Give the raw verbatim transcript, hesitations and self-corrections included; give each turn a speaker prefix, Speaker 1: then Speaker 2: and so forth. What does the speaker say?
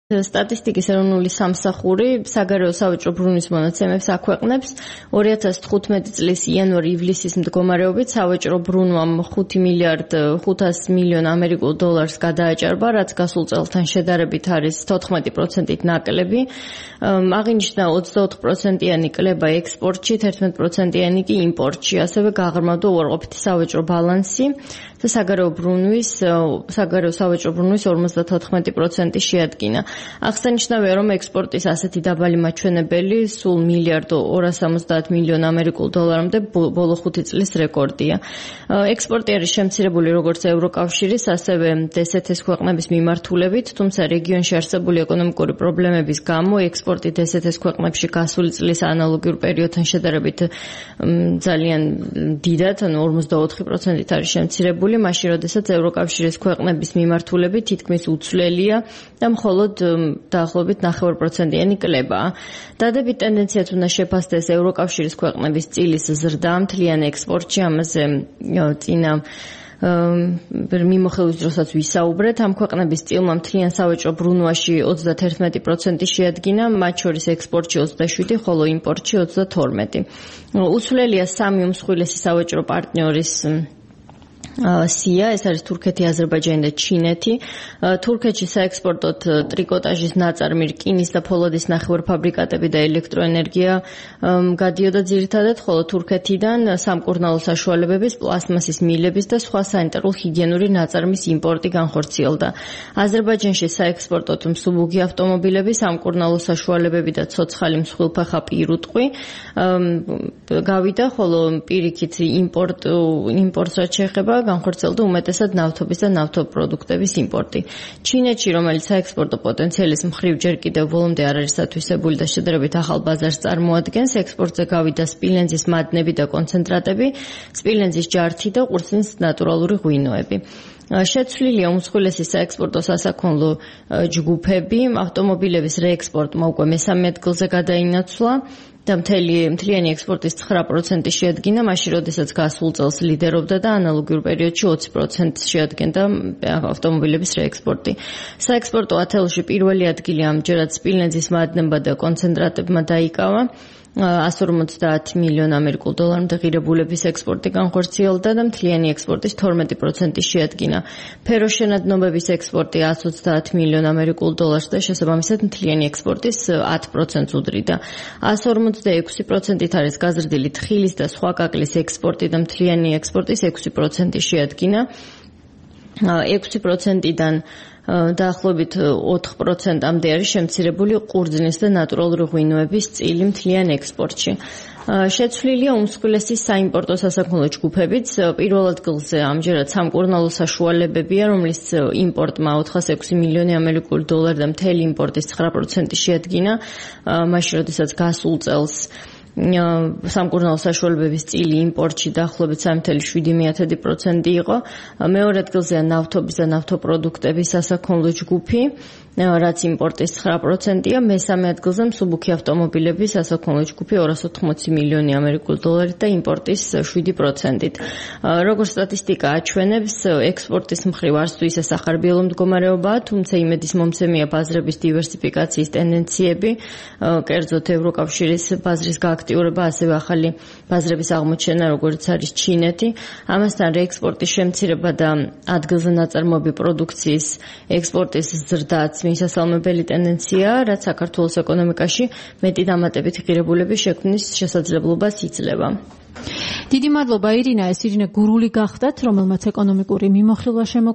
Speaker 1: სტატისტიკის ეროვნული სამსახური საგარეო სავაჭრო ბრუნვის მონაცემებს აქვეყნებს ორი ათას თხუთმეტი წლის იანვარ-ივლისის მდგომარეობით სავაჭრო ბრუნვამ ხუთი მილიარდ ხუთასი მილიონ ამერიკულ დოლარს გადააჭარბა, რაც გასულ წელთან შედარებით არის თოთხმეტი პროცენტით ნაკლები. აღინიშნა ოცდაოთხ პროცენტიანი კლება ექსპორტში, თერთმეტ პროცენტიანი კი იმპორტში, ასევე გაღრმავდა უარყოფითი სავაჭრო ბალანსი და საგარეო ბრუნვის საგარეო სავაჭრო ბრუნვის ორმოცდათოთხმეტი პროცენტი შეადგინა. აღსანიშნავია, რომ ექსპორტის ასეთი დაბალი მაჩვენებელი სულ მილიარდ ორასი ოცდაათ მილიონ ამერიკულ დოლარამდე ბოლო ხუთი წლის რეკორდია. ექსპორტი არის შემცირებული როგორც ევროკავშირის, ასევე დსთ-ის ქვეყნების მიმართულებით, თუმცა რეგიონში არსებული ეკონომიკური პრობლემების გამო ექსპორტი დსთ-ის ქვეყნებში გასული წლის ანალოგიურ პერიოდთან შედარებით ძალიან დიდად, ანუ ორმოცდაოთხი პროცენტით არის შემცირებული, მაშინ როდესაც ევროკავშირის ქვეყნების მიმართულებით თითქმის უცვლელია და მხოლოდ დაახლოებით ნახევარ პროცენტიანი კლებაა. დადებით ტენდენციაც უნდა შეფასდეს ევროკავშირის ქვეყნების წილის ზრდა მთლიან ექსპორტში, ამაზე წინა მიმოხილვის დროსაც ვისაუბრეთ. ამ ქვეყნების წილმა მთლიან სავაჭრო ბრუნვაში ოცდათერთმეტი პროცენტი შეადგინა, მათ შორის ექსპორტში ოცდაშვიდი, ხოლო იმპორტში ოცდათორმეტი. უცვლელია სამი უმსხვილესი სავაჭრო პარტნიორის სია, ეს არის თურქეთი, აზერბაიჯანი და ჩინეთი. თურქეთში საექსპორტოდ ტრიკოტაჟის ნაწარმი, რკინის და ფოლადის ნახევარფაბრიკატები და ელექტროენერგია გადიოდა ძირითადად, ხოლო თურქეთიდან სამკურნალო საშუალებების, პლასმასის მილების და სხვა სანიტარულ-ჰიგიენური ნაწარმის იმპორტი განხორციელდა. აზერბაიჯანში საექსპორტოდ მსუბუქი ავტომობილები, სამკურნალო საშუალებები და ცოცხალი მსხვილფეხა პირუტყვი გავიდა, ხოლო პირიქით იმპორტ იმპორტს რაც შეეხება განხორციელდა უმეტესად ნავთობის და ნავთობპროდუქტების იმპორტი. ჩინეთში, რომელიც საექსპორტო პოტენციალის მხრივ ჯერ კიდევ ბოლომდე არ არის ათვისებული და შედარებით ახალ ბაზარს წარმოადგენს, ექსპორტზე გავიდა სპილენძის მადნები და კონცენტრატები, სპილენძის ჯართი და ყურძნის ნატურალური ღვინოები. შეცვლილია უმსხვილესი საექსპორტო სასაქონლო ჯგუფები, ავტომობილების რეექსპორტმა უკვე მესამე ადგილზე გადაინაცვლა და მთელი მთლიანი ექსპორტის ცხრა პროცენტი შეადგინა, მაშინ როდესაც გასულ წელს ლიდერობდა და ანალოგიურ პერიოდში ოცი პროცენტს შეადგენდა ავტომობილების რეექსპორტი. საექსპორტო ათეულში პირველი ადგილი ამჯერად სპილენძის მადნებმა და კონცენტრატებმა დაიკავა. ასი ორმოცდაათი მილიონ ამერიკულ დოლარამდე ღირებულების ექსპორტი განხორციელდა და მთლიანი ექსპორტის თორმეტი პროცენტი შეადგინა. ფეროშენადნობების ექსპორტი ასი ოცდაათი მილიონ ამერიკულ დოლარს და შესაბამისად მთლიანი ექსპორტის ათი პროცენტს უდრიდა. ასი ორმოცდაექვსი პროცენტით არის გაზრდილი თხილის და სხვა კაკლის ექსპორტი და მთლიანი ექსპორტის ექვსი პროცენტი შეადგინა. ექვსი პროცენტიდან დაახლოებით ოთხ პროცენტამდე არის შემცირებული ყურძნის და ნატურალური ღვინოების წილი მთლიან ექსპორტში. შეცვლილია უმსხვილესი საიმპორტო სასაქონლო ჯგუფებიც. პირველ ადგილზე ამჯერად სამკურნალო საშუალებებია, რომლის იმპორტმა ოთხასი ექვსი მილიონი ამერიკული დოლარი და მთელი იმპორტის ცხრა პროცენტი შეადგინა, მაშინ როდესაც გასულ წელს სამკურნალო საშუალებების წილი იმპორტში დაახლოებით სამი წელი შვიდი პროცენტი იყო. მეორე ადგილზეა ნავთობის და ნავთობპროდუქტების სასაქონლო ჯგუფი, რაც იმპორტის ცხრა პროცენტია, მესამე ადგილზე მსუბუქი ავტომობილების სასაქონლო ჯგუფი ორასი ოთხმოცი მილიონი ამერიკული დოლარით და იმპორტის შვიდი პროცენტით. როგორც სტატისტიკა აჩვენებს, ექსპორტის მხრივ არც თუ ისე სახარბიელო მდგომარეობაა, თუმცა იმედის მომცემია ბაზრების დივერსიფიკაციის ტენდენციები, კერძოდ ევროკავშირის ბაზრის გააქტიურება, ასევე ახალი ბაზრების აღმოჩენა, როგორც არის ჩინეთი. ამასთან რეექსპორტის შემცირება და ადგილზე ნაწარმოები პროდუქციის ექსპორტის ზრდაც მისასალმებელი ტენდენცია, რაც საქართველოს ეკონომიკაში მეტი დამატებითი ღირებულების შექმნის შესაძლებლობას იძლევა.
Speaker 2: დიდი მადლობა ირინა, ეს ირინა გურული გახდათ, რომელმაც ეკონომიკური მიმოხილვა შემო